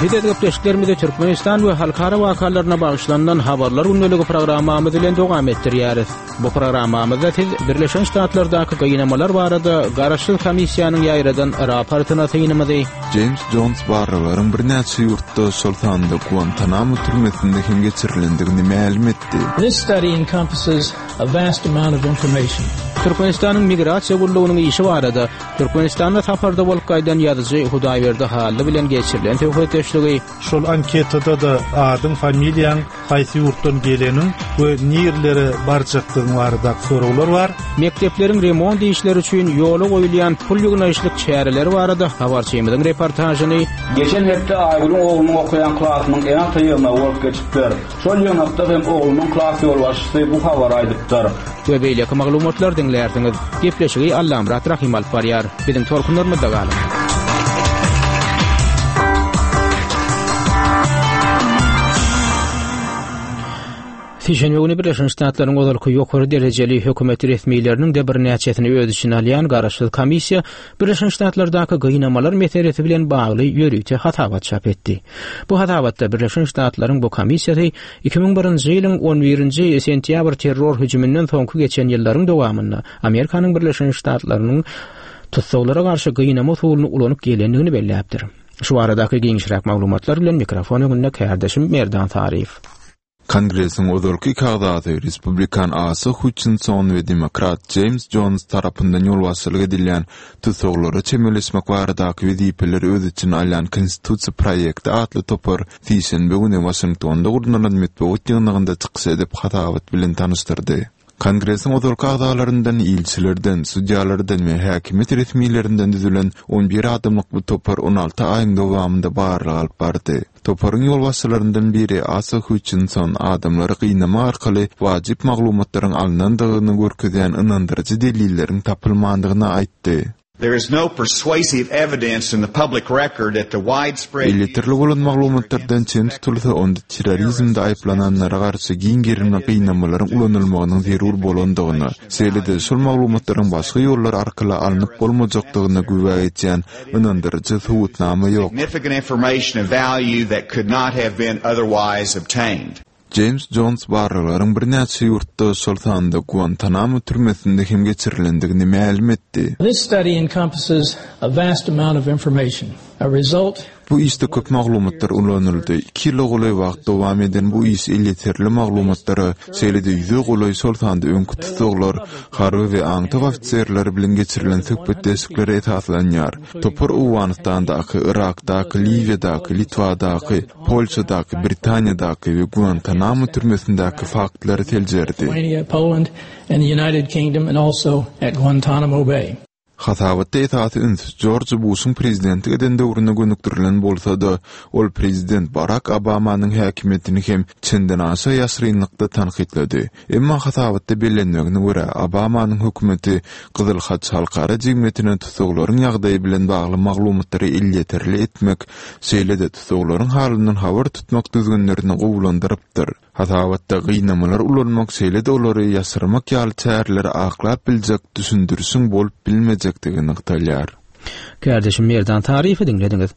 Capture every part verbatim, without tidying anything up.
Biz öz gepleşiklerimizi Türkmenistan we halkara wakalaryna bagyşlanylan Habarlar gündeligi programmamyz bilen dowam etdirýäris. Bu programmamyzda siz Birleşen Ştatlardaky gynamalar barada garaşsyz komissiýanyň ýaýradan raportyna synymyzy, Jeýms Jons barlaglaryň birnäçe ýurtda, şol sanda Guantanamo türmesinde hem geçirilendigini mälim etdi. This study encompasses a vast amount of information. Türkmenistanyň Migrasiýa gullugynyň işi barada Türkmenistanda saparda bolup gaýdan ýazyjy Hudaýberdi Hally bilen geçirilen söhbetdeşligi, Şol anketada-da adyň, familiýaň, haýsy ýurtdan geleniň we nirelere barjakdygyň baradaky soraglar bar. Mekdepleriň remont işleri üçin ýola goýulýan pul ýygnaýyşlyk çäreleri barada habarçymyzyň reportažyny, Geçen hepde Aýgülüň oglunyň okaýan klasynyň ene-ata ýygnagy bolup geçipdir. Şol ýygnakda hem oglunyň klas ýolbaşçysy bu habary aýdypdyr. We beýleki maglumatlary diňlärsiňiz. Gepleşigi Allamyrat Rahym alyp barýar. Biziň tolkunlarymyzda galyň. Sişenbe güni Birleşen Ştatlaryň ozalky ýokary derejeli hökümet resmileriniň-de birnäçesini öz içine alýan garaşsyz komissiýa Birleşen Ştatlardaky gynamalar meselesi bilen bagly ýörite hasabat çap etdi. Bu hasabatda Birleşen Ştatlaryň bu komissiýasy iki müň birinji ýylyň on birinji sentýabr terror hüjüminden soňky geçen ýyllaryň dowamynda Amerikanyň Birleşen Ştatlarynyň tussaglara garşy gynama usulyny ulanyp gelendigini belläpdir. Şu baradaky giňişräk maglumatlar bilen mikrofon öňünde kärdeşim Merdan Saryýew. Kongresiň ozalky iki agzasy, respublikan Asa Hutçinson we demokrat Jeýms Jons tarapyndan ýolbaşçylyk edilýän tussaglara çemeleşmek baradaky wezipeleri öz içine alýan Konstitusiýa proýekti atly topar sişenbe güni Waşingtonda gurnalan metbugat ýygnagynda çykyş edip, hasabat bilen tanyşdyrdy. Kongresiň ozalky agzalaryndan, ilçilerden, sudýalardan we häkimiýet resmilerinden düzülen on bir adamlyk bu topar on alty aýyň dowamynda barlag alyp bardy. Toparyň ýolbaşçylaryndan biri Asa Hutçinson adamlary gynamak arkaly wajyp maglumatlaryň alnandygyny görkezýän ynandyryjy delilleriň tapylmandygyny aýtdy. There is no persuasive evidence in the public record that the widespread Elýeterli bolan maglumatlardan çen tutulsa, onda terrorizmde aýyplananlara garşy giň gerimli gynamalaryň ulanylmagynyň zerur bolandygyna, şeýle-de şol maglumatlaryň başga ýollar arkaly alnyp bolmajakdygyna güwä geçýän ynandyryjy subutnama ýok. Significant information of value that could not have been otherwise obtained. Jeýms Jons barlaglaryň birnäçe ýurtda, şol sanda Guantanamo türmesinde hem geçirilendigini mälim etdi. This study encompasses a vast amount of information. A result Bu işde köp maglumatlar ulanyldy. Iki ýyla golaý wagt dowam eden bu iş elýeterli maglumatlara, şeýle-de ýüze golaý, şol sanda öňki tussaglar, harby we aňtaw ofiserleri bilen geçirilen söhbetdeşliklere esaslanýar. Topar Owganystandaky, Yrakdaky, Liwiýadaky, Litwadaky, Polşadaky, Britaniýadaky we Guantanamo türmesindäki faktlary seljerdi. Hasabatda esasy üns Jorj Buşuň prezidentlik eden döwrüne gönükdirilen bolsa-da, ol prezident Barak Obamanyň häkimiýetini hem çendenaşa ýaşyrynlykda tankytlady. Emma hasabatda bellenmegine görä, Obamanyň hökümeti Gyzyl Haç halkara jemgyýetine tussaglaryň ýagdaýy bilen bagly maglumatlary elýeterli etmek, şeýle-de tussaglaryň halyndan habar tutmak düzgünlerini gowulandyrypdyr. Hasabatda gynamalar ulanmak, şeýle-de olary ýaşyrmak ýaly çäreleri aklap biljek düşündirişiň bolup bilmejekdigi nygtalýar. Kärdeşim Merdan Saryýewi diňlediňiz.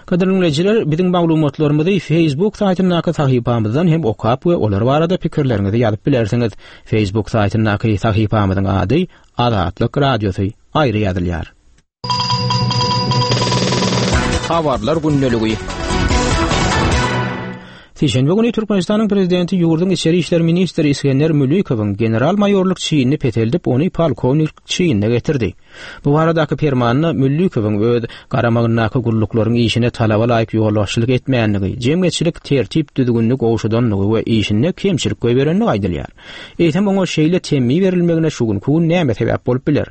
Gadyrly diňleýjiler, biziň maglumatlarymyzy Facebook saýtyndaky sahypamyzdan hem okap we olar barada pikirleriňizi ýazyp bilersiňiz. Facebook saýtyndaky sahypamyzyň ady Azatlyk Radiosy aýry ýazylýar. Habarlar gündeligi. Sişenbe güni Türkmenistanyň prezidenti ýurduň içeri işler ministri Isgender Mülikowyň general-maýorlyk çinini peseldip, ony polkownik çinine getirdi. Bu baradaky permanda Mülikowyň öz garamagyndaky gulluklaryň işine talaba laýyk ýolbaşçylyk etmändigi, jemgyýetçilik tertip-düzgünini gowşadandygy we işinde kemçilik goýberendigi aýdylýar. Eýsem oňa şeýle temmi berilmegine şu günki gün näme sebäp bolup biler?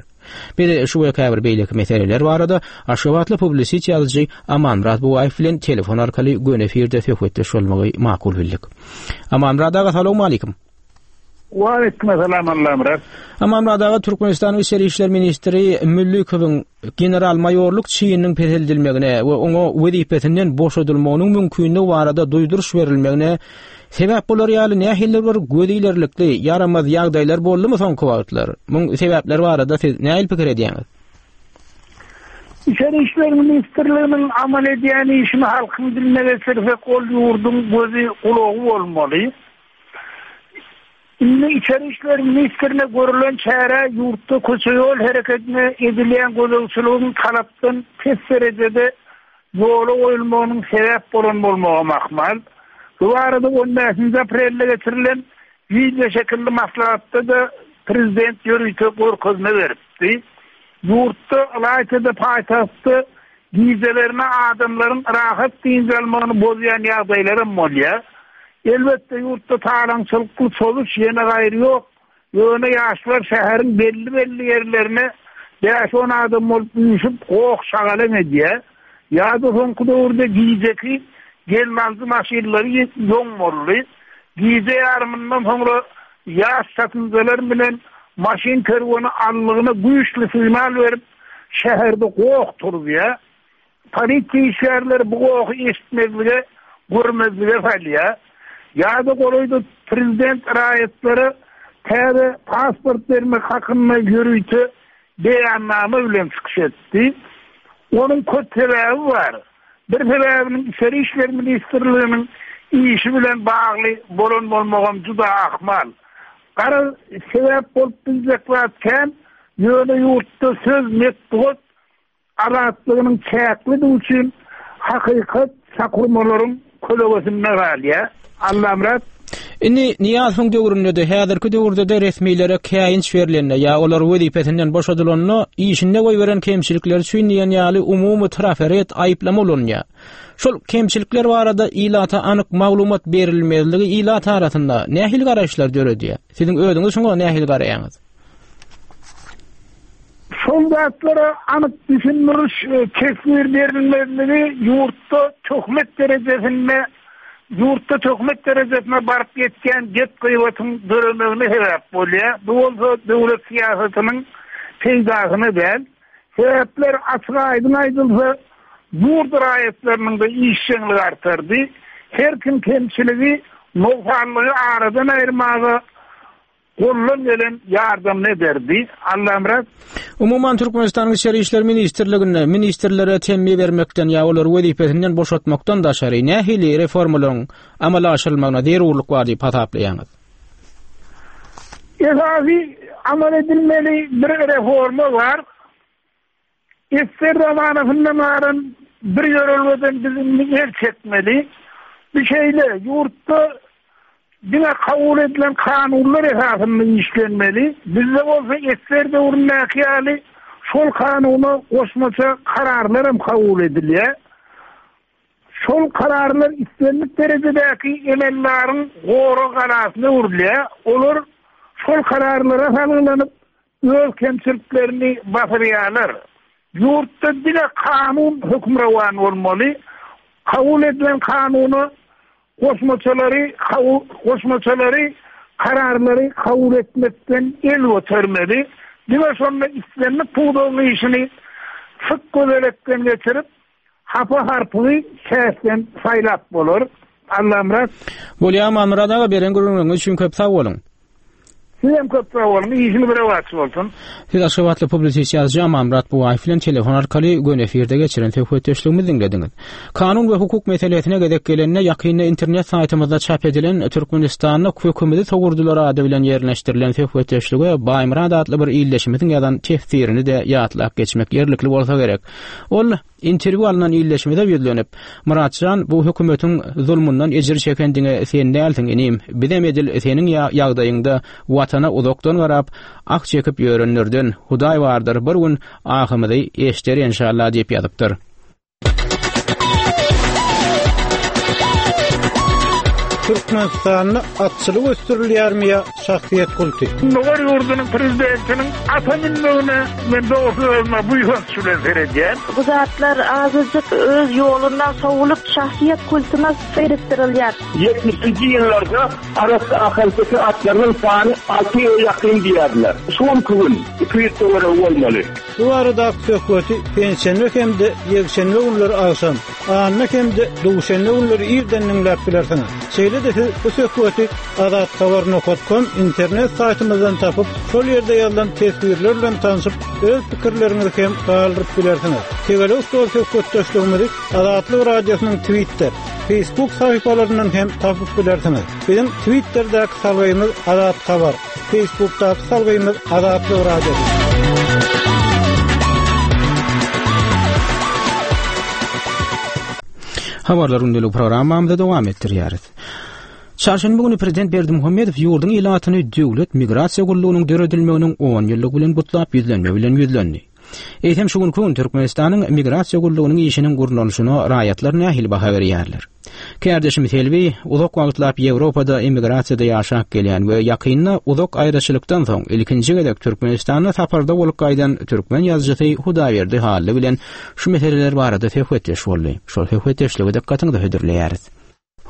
Biz şu we käbir beýleki meseleler barada aşgabatly publisist ýazyjy Amanmyrat Bugaýew bilen telefon arkaly göni efirde söhbetdeş bolmagy makul bildik. Amanmyrat aga, salowmalikim. Waleýkim Allamyrat. Amanmyrat aga, Türkmenistanyň Içeri işler ministri Müllükowyň general-maýorlyk çininiň peseldilmegine we oňa wezipesinden boşadylmagynyň mümkinligi barada duýduryş berilmegine sebäp bolar ýaly nähilidir bir göz ilerlikli, ýaramaz ýagdaýlar boldumy soňky wagtlar? Muň sebäpleri barada siz nähili pikir edýäňiz? İçeri İşler Ministrliğinin amal edýän işini halkyň diline geçirsek ol ýurduň gözi gulagy bolmaly. Indi İçeri İşler Ministrine görülen çäre ýurtda köçe ýol hereketine edilýän gözegçiligiň talapdan pes derecede ýola goýulmagynyň sebäp bolan bolmagy mahmal. Bu arada on beşinji aprelde geçirilen video şekilli maslahatda da prezident ýörite görkezme beripdi. Ýurtda ylaýtada paýtagtda gijelerine adamlaryň rahat dynç almagyny bozýan ýagdaýlaram bolýar. Elbetde ýurtda talaňçylykly çoluş ýene gaýry ýok. Ýöne ýaşlar şäheriň belli-belli ýerlerine bäş on adam bolup üýşüp goh şagalan edýär. Ýa-da soňky döwürde gijeki gelmezli maşynlary ýoň boldy. Gije ýarymyndan soňra ýaş satynjalar bilen maşyn kerweni allygyna güýçli signal berip şäherde goh turýar. Polisiýa işgärleri bu gohy eşitmezlige, görmezlige salýar. Ýa-da golaýda prezident raýatlara täze pasport bermek hakynda ýörite beýannama bilen çykyş etdi. Onuň köp sebäbi bar. Bir sebäbiniň İçeri İşler Ministrliginiň işi bilen bagly bolan bolmagam juda ahmal. Gara sebäp bolup biljek zat kän, ýöne ýurtda söz metbugat azatlygynyň çäklidigi üçin hakykat sakurmalaryň kölegesinde galýar. Allamyrat. Indi Niýazowyň döwründe-de, häzirki döwürde-de resmilere käýinç berilende ýa olar wezipesinden boşadylanda işinde goýberen kemçilikler üçin diýen ýaly umumy traferet aýyplama ulanýar. Şol kemçilikler barada ilata anyk maglumat berilmezligi ilat arasynda nähili garaýyşlar döredýär? Siziň özüňiz şoňa nähili garaýaňyz? Şol zatlara anyk düşündiriş, teswir berilmezligi ýurtda töhmet derejesinde ýurtda töhmet derejesine baryp ýetýän gep gyýbatyň döremegine sebäp bolýar. Bu bolsa döwlet syýasatynyň peýdasyna däl. Sebäpler açyk aýdyň aýdylsa, ýurt raýatlarynyň da işjeňligi artardy. Her kim kemçiligi, nogsanlygy aradan aýyrmaga gollan gelen ýardam ederdi. Allamyrat. Umuman Türkmenistanyň İçeri İşler Ministrliginde ministrlere temmi bermekden ýa olary wezipesinden boşatmakdan daşary nähili reformalaryň amala aşyrylmagyna zerurlyk bar diýip hasaplaýaňyz? Esasy amal edilmeli bir reforma bar. Ester zamanasyndan galan bir ýörelgeden biz indi el çekmeli. Bir şeyle ýurtda diňe kabul edilen kanunlar esasynda işlenmeli. Bizde bolsa ester döwründäki ýaly şol kanuna goşmaça kararlar hem kabul edilýär. Şol kararlar islendik derejedäki emelleriň gorag galasyna öwrülýär. Olar şol kararlara salgylanyp öz kemçiliklerini basyrýarlar. Ýurtda diňe kanun hökmürowan bolmaly. Kabul edilen kanuna goşmaçalary, goşmaçalary, kararlary kabul etmekden el götermeli. Diňe şonda islendik pudagyň işini syk gözelekden geçirip, hapa harpygy şähden saýlap bolar. Allamyrat. Bolýar, Amanmyrat aga, beren gürrüňiňiz üçin köp sag boluň. Siz hem köp sag boluň, işiňiz rowaç bolsun. Siz Aşgabatly publisist ýazyjy Amanmyrat Bugaýew bilen telefon arkaly göni efirde geçiren söhbetdeşligimizi diňlediňiz. Kanun we hukuk meselesine gezek gelende ýakynda internet saýtymyzda çap edilen Türkmenistanda kökümizi sogurdylar ady bilen ýerleşdirilen söhbetdeşlige Baýmyrat atly bir illeşimiziň ýazan tefsirini de ýatlap geçmek ýerlikli bolsa gerek. Ol interwýu alynan illeşimize ýüzlenip, Muratjan, bu hökümetiň zulmundan ejir çeken diňe sen dälsiň inim, bizem edil seniň ýagdaýyňda watana uzakdan garap, ah çekip ýörenlerden Hudaý bardyr, bir gün ahymyzy eşder inşallah diýip ýazypdyr. Türkmenistanda atçylyk ösdürilýärmi ýa şahsyýet kulty? Gündogar ýurdunyň prezidentiniň ata minmegine men dogrusu özüme buýsanç bilen seredýän. Bu zatlar azajyk öz ýolundan sowulup şahsyýet kultuna seýrekdirilýär. ýetmişinji ýyllarda arassa ahalteke atlarynyň sany alty ýyl ýakyn diýerdiler. Şu gün iki ýüz töweregi bolmaly. Bu arada söhbeti penşenbe hem de ýekşenbe günleri agşam, anna hem de duşenbe günleri irden diňläp bilersiňiz. Şeýle Şeýle-de siz bu söhbeti azathabar.com internet saýtymyzdan tapyp, şol ýerde ýazylan teswirler bilen tanşyp, öz pikirleriňizi hem galdyryp bilersiňiz. Tegelek stol söhbetdeşligimizi Azatlyk Radiosynyň Twitter, Facebook sahypalaryndan hem tapyp bilersiňiz. Biziň Twitter'däki salgymyz Azat Habar, Facebook'daky salgymyz Azatlyk Radiosy. Habarlar gündelik programmamyzy dowam etdirýäris. Çarşenbe güni Prezident Berdimuhamedow ýurduň ilatyny döwlet migrasiýa gullugynyň döredilmeginiň on ýyllygy bilen gutlap ýüzlenme bilen ýüzlendi. Eýsem şu günki gün Türkmenistanyň migrasiýa gullugynyň işiniň gurnalyşyna raýatlar nähili baha berýärler? Kärdeşim Selbi uzak wagtlap Ýewropada emigrasiýada ýaşap gelýän we ýakynda uzak aýraçylykdan soň ilkinji gezek Türkmenistanda saparda bolup gaýdan türkmen ýazyjysy Hudaýberdi Hally bilen şu meseleler barada söhbetdeş boldy. Şol söhbetdeşligi dykgatyňyza hödürleýäris.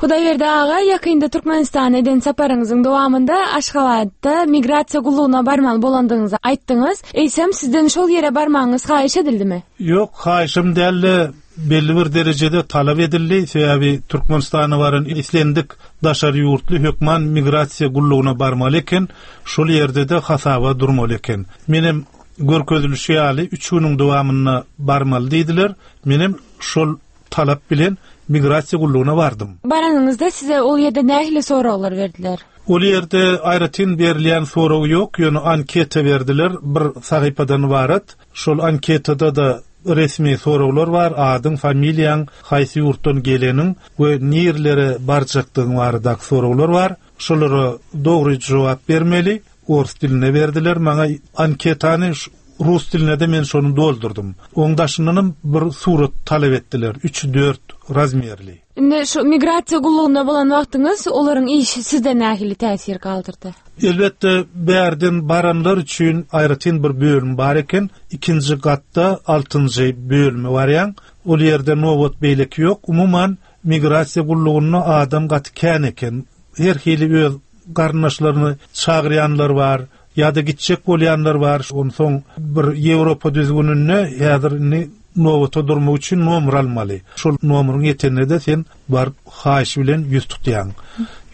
Hudaýberdi aga, ýakynda Türkmenistana eden saparyňyzyň dowamynda Aşgabatda migrasiýa gullugyna barmaly bolandygyňyzy aýtdyňyz. Eýsem sizden şol ýere barmagyňyz haýyş edildimi? Ýok, haýyşym däldi. Belli bir derejede talap edildi. Sebäbi Türkmenistana baran islendik daşary ýurtly hökman migrasiýa gullugyna barmaly eken, şol ýerde-de hasaba durmaly eken. Menem görkezilişi ýaly üç günüň dowamynda barmaly diýdiler. Menem şol talap bilen migrasiýa gullugyna bardym. Baranyňyzda size ol ýerde nähili soraglar berdiler? Ol ýerde aýratyn berilýän sorag ýok, ýöne anketa berdiler, bir sahypadan ibarat. Şol anketada da resmi soraglar bar, adyň, familiýaň, haýsy ýurtdan geleniň we nirlere barjakdygyň baradaky soraglar bar. Şolara dogry jogap bermeli. Ors diline berdiler maňa anketany, rus diline de men şonu doldurdum. Oň daşyndanam bir surat talap etdiler, üç dört razmerli. Indi şu migrasiýa gullugyna bolan wagtyňyz olaryň işi sizde nähili täsir galdyrdy? Elbetde bärden baranlar üçin aýratyn bir bölüm bar eken. Ikinji gatda altynjy bölümi barýan. Ol ýerde nobat beýleki ýok. Umuman migrasiýa gullugynda adam gaty kän eken. Her hili öz garyndaşlaryny çagyrýanlar bar, ýa-da gitjek bolýanlar bar. Onsoň bir Ýewropa düzgüninde häzir indi nobata durmak üçin nomer almaly. Şol nomeryň ýetende de sen baryp haýyş bilen ýüz tutýaň.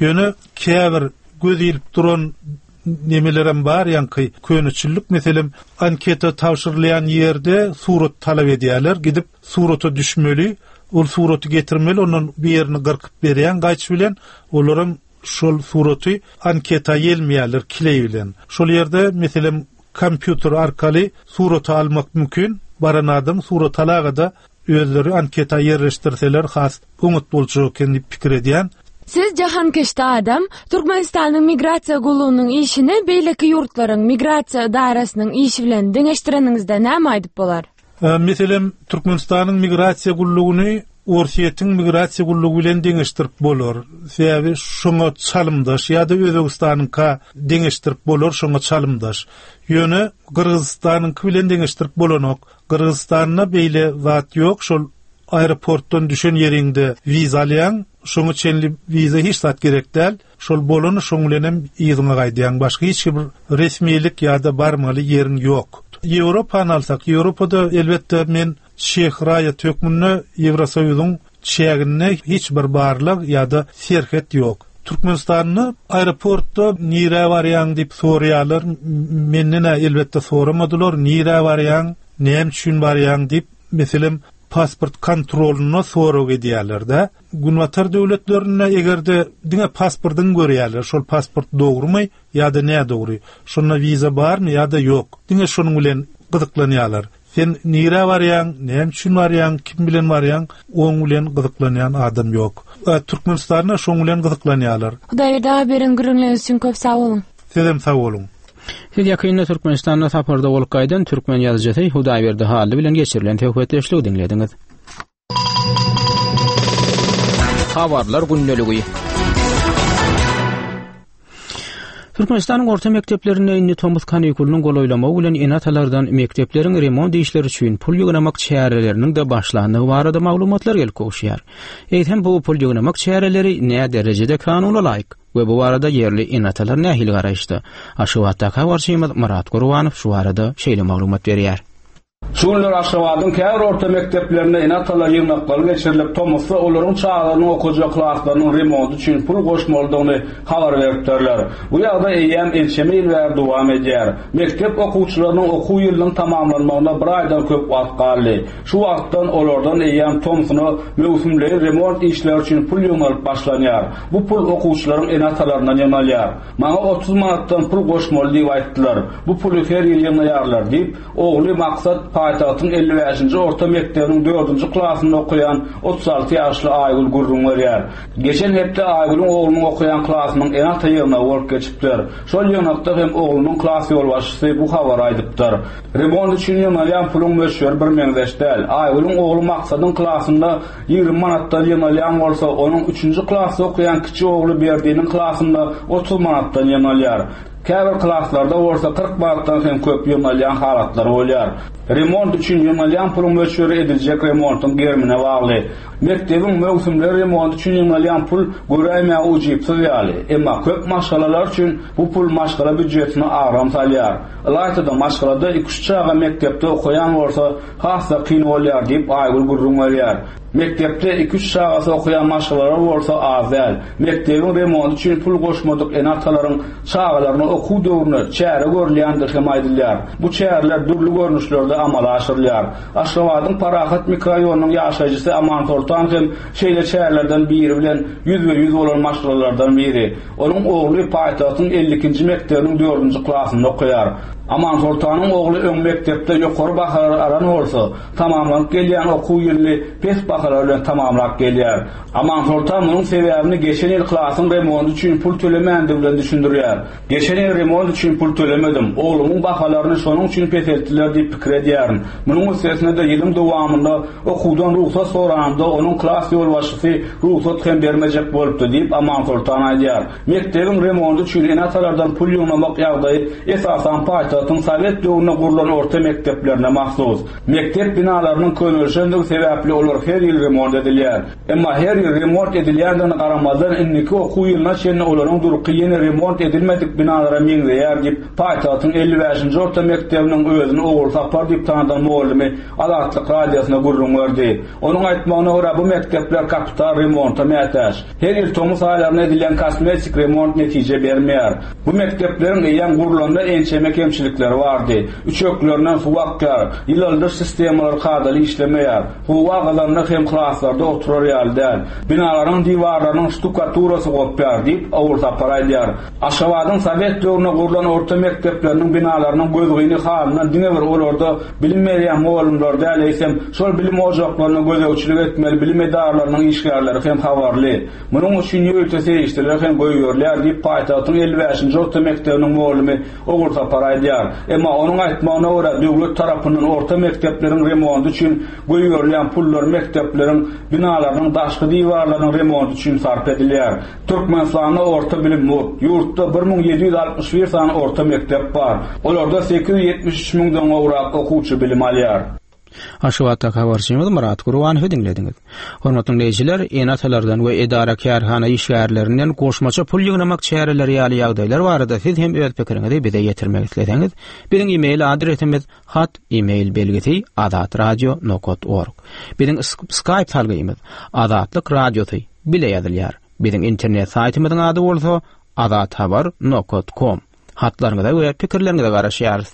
Ýöne käbir göz ilip duran nemelerem bar, ýaňky köneçillik meselem anketa tabşyrylýan ýerde surat talap edýärler. Gidip surata düşmeli, ol suraty getirmeli, ondan bir ýerini gyrkyp berýän gaýç bilen, olaram şol suraty anketa ýelmeýärler kileý bilen. Şol ýerde meselem kompýuter arkaly suraty almak mümkin. Baran adam surat alagada özleri anketa ýerleşdirseler has oňat boljak eken diýip pikir edýän. Siz jahankeşde adam, Türkmenistanyň migrasiýa gullugynyň işini beýleki ýurtlaryň migrasiýa edarasynyň işi bilen deňeşdireniňizde näme aýdyp bolar? E, meselem, Türkmenistanyň migrasiýa gullugyny Orsýetiň migrasiýa gullugy bilen deňeşdirip bolar. Sebäbi şoňa çalymdaş ýa-da Özbegistanyňka deňeşdirip bolar, şoňa çalymdaş. Ýöne Gyrgyzystanyňky bilen deňeşdirip bolanok. Gyrgyzystanda beýle zat ýok, şol aeroportdan düşen ýeriňde wiza alýaň, şoňa çenli wiza hiç zat gerek däl. Şol bolany şoň bilen hem yzyňa gaýdýaň. Başga hiç bir resmilik ýa-da barmaly ýeriň ýok. Ýewropany alsak, Ýewropada elbetde men çeh raýat hökmünde Ýewrosoýuzyň çäginde hiç bir barlyk ýa-da serhet ýok. Türkmenistanda aeroportda nirä barýaň diýip soraýarlar. Menden elbetde soramadylar, nirä barýaň, näme üçin barýaň diýip, meselem pasport kontrolyna sorag edýärler-de. Günbatar döwletlerinde eger-de diňe pasportyny görýärler, şol pasport dogrumy ýa-da nädogry, şonda wiza barmy ýa-da ýok. Diňe şonuň bilen gyzyklanýarlar. Sen nirä barýaň, näme üçin barýaň, kim bilen barýaň, oň bilen gyzyklanýan adam ýok. E, Türkmenistanda şoň bilen gyzyklanýarlar. Hudaýberdi aga beren gürrüňleriňiz üçin köp sag boluň. Sizem sag boluň. Siz ýakynda Türkmenistanda saparda bolup gaýdan türkmen ýazyjysy Hudaýberdi Hally bilen geçirilen söhbetdeşligi diňlediňiz. Habarlar gündeligi. Türkmenistanyň orta mekdeplerinde indi tomus kanikulynyň golaýlamagy bilen ene-atalardan mekdepleriň remont işleri üçin pul ýygnamak çäreleriniň de başlandygy barada maglumatlar gelip gowuşýar. Eýsem bu pul ýygnamak çäreleri nä derejede kanuna laýyk we bu barada ýerli ene-atalar nähili garaýyşda? Aşgabatdaky habarçymyz Myrat Gurbanow şu barada şeýle maglumat berýär. Şu günler Aşgabadyň käbir orta mekdeplerinde ene-atalar ýygnaklary geçirilip, tomusda olaryň çagalarynyň okajak klaslarynyň remonty üçin pul goşmalydygyny habar beripdirler. Bu ýagdaý eýýäm ençeme ýyl bäri dowam edýär. Mekdep okuwçylarynyň okuw ýylynyň tamamlanmagyna bir aýdan köp wagt galdy. Şu wagtdan olardan eýýäm tomsuna möwsümleýin remont işleri üçin pul ýygnalyp başlanýar. Bu pul okuwçylaryň ene-atalaryndan ýygnalýar. Maňa otuz manatdan pul goşmaly diýip aýtdylar. Bu puly her ýyl ýygnaýarlar diýip, ogly Maksat paýtagtyň elli bäşinji orta mekdebiniň dördünji klasynda okaýan otuz alty ýaşly Aýgül gürrüň berýär. Geçen hepde Aýgülüň oglunyň okaýan klasynyň ene-ata ýygnagy bolup geçipdir. Şol ýygnakda hem oglunyň klas ýolbaşçysy bu habary aýdypdyr. Remont üçin ýygnalýan puluň möçberi bir meňzeş däl. Aýgülüň ogly Maksadyň klasynda ýigrimi manatdan ýygnalýan bolsa, onuň üçünji klasda okaýan kiçi ogly Berdiniň klasynda otuz manatdan ýygnalýar. Käbir klaslarda bolsa kyrk manatdan hem köp ýygnalýan halatlar bolýar. Remont üçin ýygnalýan puluň möçberi ediljek remontyň gerimine bagly. Mekdebiň möwsümleri remont üçin ýygnalýan pul göräýmäge ujypsyz ýaly. Emma köp maşgalalar üçin bu pul maşgala býujetine agram salýar. Ylaýta-da maşgalada iki-üç çaga mekdepde okaýan bolsa has-da kyn bolýar diýip Aýgül gürrüň berýär. Mekdepde iki-üç çagasy okaýan maşgalalar bolsa az däl. Mekdebiň remonty üçin pul goşmadyk ene-atalaryň çagalaryna okuw döwrüne çäre görülýändigi hem aýdylýar. Bu çäreler dürli görnüşlerde amala aşyrylýar. Aşgabadyň Parahat mikroraýonynyň ýaşaýjysy Aman Soltan hem şeýle çärelerden biri bilen ýüzbe-ýüz bolan maşgalalardan biri. Onuň ogly paýtagtyň elli ikinji mekdebiniň dördünji klasynda okaýar. Aman Soltanyň ogly öň mekdepde ýokary bahalar alan bolsa, tamamlanyp gelýän okuw ýylyny pes bahalar bilen tamamlap gelýär. Aman Soltan munuň sebäbini geçen ýyl klasyň remonty üçin pul tölemändigi bilen düşündirýär. Geçen ýyl remont üçin pul tölemedim. Oglumyň bahalaryny şonuň üçin peseltdiler diýip pikir edýärin. Munuň üstesine-de ýylyň dowamynda okuwdan rugsat soranymda onuň klas ýolbaşçysy rugsat hem bermejek bolupdy diýip Aman Soltan aýdýar. Mekdebiň remonty üçin ene-atalardan pul ýygnamak ýagdaýy esasan paýtagtyň Sowet döwründe gurlan orta mekdeplerine mahsus. Mekdep binalarynyň könelişendigi sebäpli olar her ýyl remont edilýär. Emma her ýyl remont edilýändigine garamazdan indiki okuw ýylyna çenli olaryň durky ýene remont edilmedik binalara meňzeýär diýip paýtagtyň elli bäşinji orta mekdebiniň özüni Ogulsapar diýip tanadan mugallymy Azatlyk radiosyna gürrüň berdi. Onuň aýtmagyna görä bu mekdepler kapital remonta mätäç. Her ýyl tomus aýlarynda edilýän kosmetik remont netije bermeýär. Bu mekdepleriň eýýäm gurlanda ençeme kemçilikleri bardy. Üçeklerinden suw akýar, ýylaldyş sistemalary kadaly işlemeýär. Howa gyzanda hem klaslarda oturar ýaly däl. Binalaryň diwarlarynyň ştukaturasy gopýar diýip Ogulsapar aýdýar. Aşgabadyň Sowet döwründe gurlan orta mekdepleriniň binalarynyň gözgyny halyndan diňe bir olarda bilim berýän mugallymlar däl, eýsem şol bilim ojaklaryna gözegçilik etmeli bilim edaralarynyň işgärleri hem habarly. Munuň üçin ýörite serişdeler hem goýberilýär diýip paýtagtyň elli bäşinji orta mekdebiniň mugallymy Ogulsapar aýdýar. Emma onuň aýtmagyna görä döwlet tarapyndan orta mekdepleriň remonty üçin goýberilýän pullar mekdepleriň binalarynyň daşky diwarlarynyň remonty üçin sarp edilýär. Türkmenistanda orta bilim mugt. Ýurtda bir müň ýedi ýüz altmyş bir sany orta mekdep bar. Olarda sekiz ýüz ýetmiş üç müňden gowrak okuwçy bilim alýar. Aşgabatda habarçymyz Murat Gurbanowy diňlediňiz. Hormatly dinleýjiler, ene-atalardan we edara kärhana işgärlerinden goşmaça pul ýygnamak çäreleri ýaly ýagdaýlar barada siz hem öz pikiriňizi bize ýetirmek isleseňiz, biziň e-mail adresimiz hat e-mail belgisi azatradio nokta org. Biziň Skype salgymyz Azatlyk Radiosy bile ýazylýar. Biziň internet saýtymyzyň ady bolsa azathabar nokta com. Hatlaryňyza we pikirleriňize garaşýarys.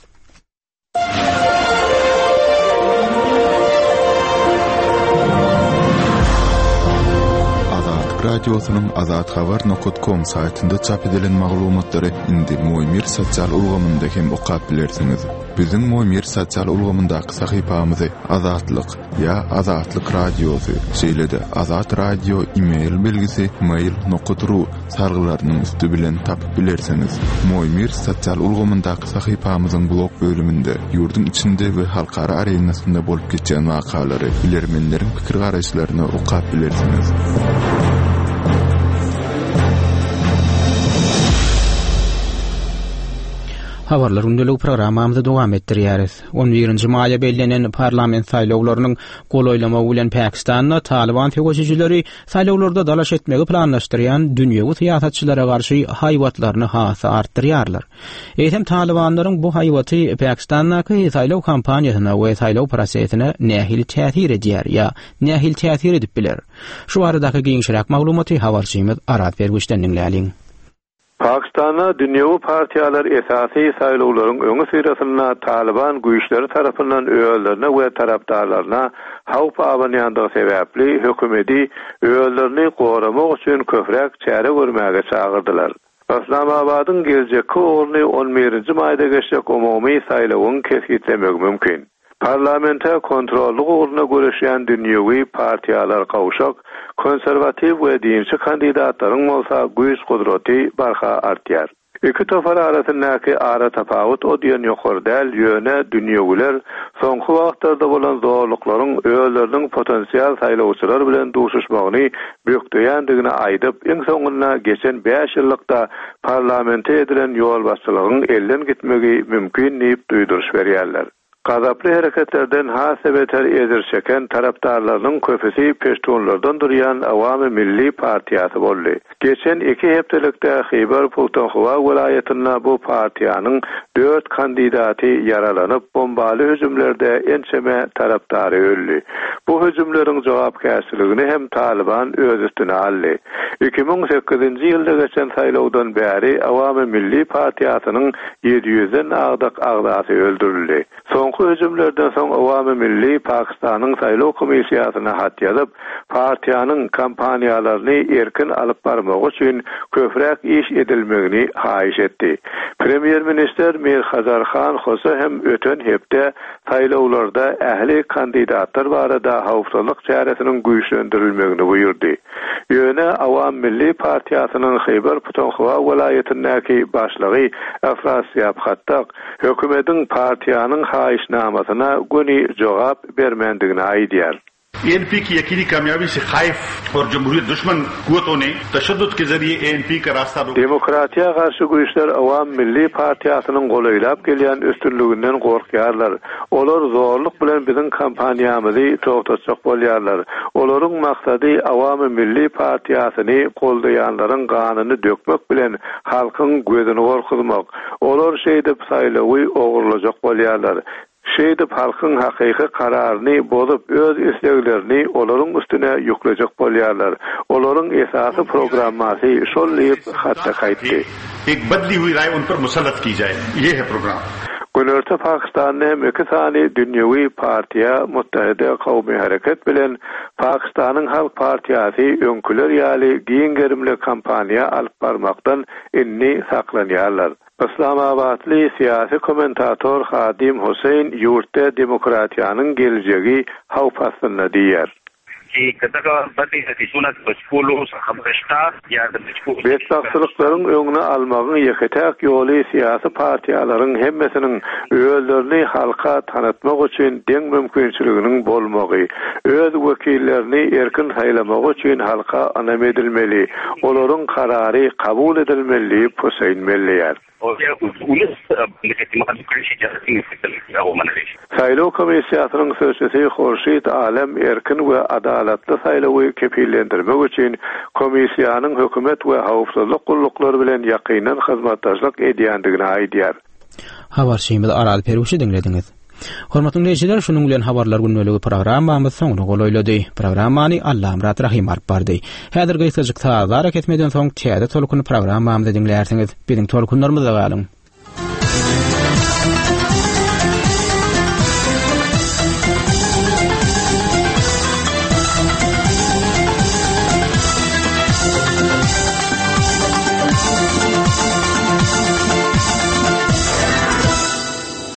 Azatlyk Radiosynyň azathabar nokta com saýtynda çap edilen maglumatlary indi Moýmir sosial ulgamynda hem okap bilersiňiz. Biziň Moýmir sosial ulgamyndaky sahypamyzy Azatlyk ýa Azatlyk Radiosy, şeýle-de Azat Radio e-mail belgisi mail nokta ru salgylarynyň üsti bilen tapyp bilersiňiz. Moýmir sosial ulgamyndaky sahypamyzyň blog bölüminde ýurduň içinde we halkara arenasynda bolup geçen wakalary, bilermenleriň pikir garaýyşlaryny okap bilersiňiz. Habarlar gündelik programmamyzy dowam etdirýäris. on birinji maýa bellenen parlament saýlawlarynyň golaýlamagy bilen Pakistanda Taliban söweşijileri saýlawlarda dalaş etmegi planlaşdyrýan dünýewi syýasatçylara garşy haýbatlaryny has artdyrýarlar. Eýsem Talibanlaryň bu haýbaty Pakistandaky saýlaw kampaniýasyna we saýlaw prosesine nähili täsir edýär ýa nähili täsir edip biler? Şu baradaky giňişräk maglumaty habarçymyz Arat Bergüşden diňläliň. Pakistanda dünýewi partiýalar esasy saýlawlaryň öňi syrasynda Taliban güýçleri tarapyndan özlerine we tarapdarlaryna howp abanýandygy sebäpli hökümeti özlerini goramak üçin köpräk çäre görmäge çagyrdylar. Islamabadyň geljekki ugruny on birinji maýda geçjek umumy saýlawyň kesgitlemegi mümkin. Parlamente kontrollyk ugruna göreşýän dünýewi partiýalar gowşak, konserwatiw we dinçi kandidatlaryň bolsa güýç gudraty barha artýar. Iki topar arasyndaky ara tapawut o diýen ýokary däl, ýöne dünýewiler soňky wagtlarda bolan zorluklaryň özleriniň potensial saýlawçylar bilen duşuşmagyny bökdeýändigini aýdyp, iň soňunda geçen bäş ýyllykda parlamente edilen ýolbaşçylygyň elden gitmegi mümkin diýip duýduryş berýärler. Gazaply hereketlerden has beter ejir çeken tarapdarlarynyň köpüsi peştunlardan durýan Awami Milli Partiýasy boldy. Geçen iki hepdelikde Hyber Puhtunhwa welaýatynda bu partiýanyň dört kandidaty ýaralanyp, bombaly hüjümlerde ençeme tarapdary öldi. Bu hüjümleriň jogapkärçiligini hem Taliban öz üstüne aldy. iki müň sekizinji ýylda geçen saýlawdan bäri Awami Milli Partiýasynyň ýedi ýüzden agdak agzasy öldürildi. Soňky hüjümlerden soň Awami Milli Pakistanyň saýlaw komissiýasyna hat ýazyp, partiýanyň kampaniýalaryny erkin alyp barmagy üçin köpräk iş edilmegini haýyş etdi. Premýer-ministr Mir Hazar Han Hosa hem öten hepde saýlawlarda ähli kandidatlar barada howpsuzlyk çäresiniň güýçlendirilmegini buýurdy. Ýöne Awam Milli Partiýasynyň Hyber Puhtunhwa welaýatyndaky başlygy Afrasiýab Hattak hökümetiň partiýanyň haýyşnamasyna göni jogap bermändigini aýdýar. N P की यकीनी कामयाबी से खाइफ और जमहूरियत दुश्मन कुवतों ने तशद्दुद के जरिए A N P का रास्ता रोक Demokratiýa garşy güýçler Awam Milli Partiýasynyň golaýlap gelýän üstünliginden gorkýarlar. Olar zorluk bilen biziň kampaniýamyzy togtatjak bolýarlar. Olaryň maksady Awam Milli Partiýasyny goldaýanlaryň ganyny dökmek bilen halkyň gözüni gorkuzmak. Olar şeýdip saýlawy ogurlajak bolýarlar. Şeýdip halkyň hakyky kararyny bozup öz isleglerini olaryň üstüne ýüklejek bolýarlar. Olaryň esasy programmasy şol diýip hatda gaýtdy. Ek badli hui raý un par musallat ki jaye. Ye hai program. Günorta Pakistanda hem iki sany dünýewi partiýa Muttahida Kawmy Hareket bilen Pakistanyň Halk Partiýasy öňküler ýaly giň gerimli kampaniýa alyp barmakdan indi saklanýarlar. Islamabatly syýasy kommentator Hadim Hüseýin ýurtda demokratiýanyň geljegi howp astynda diýer. Betbagtçylyklaryň öňüni almagyň ýeke-täk ýoly syýasy partiýalaryň hemmesiniň özlerini halka tanatmak üçin deň mümkinçiliginiň bolmagy, öz wekillerini erkin saýlamagy üçin halka ynam edilmeli, olaryň karary kabul edilmeli diýip Hüseýin belleýär. Saýlaw komissiýasynyň sözçüsi Horşid Alem erkin we adalatly saýlawy kepillendirmek üçin komissiýanyň hökümet we howpsuzlyk gulluklary bilen ýakyndan hyzmatdaşlyk edýändigini aýdýar. Habarçymyz Aral Perwişi diňlediňiz. Hormatly dinleýjiler, şunuň bilen habarlar gündeligi programmamyz soňuna golaýlady. Programmany Allamyrat Rahim alyp bardy. Häzir gysgajyk sazlara kesmeden soň täze tolkun programmamyzy diňlärsiňiz. Biziň tolkunlarymyzda galyň.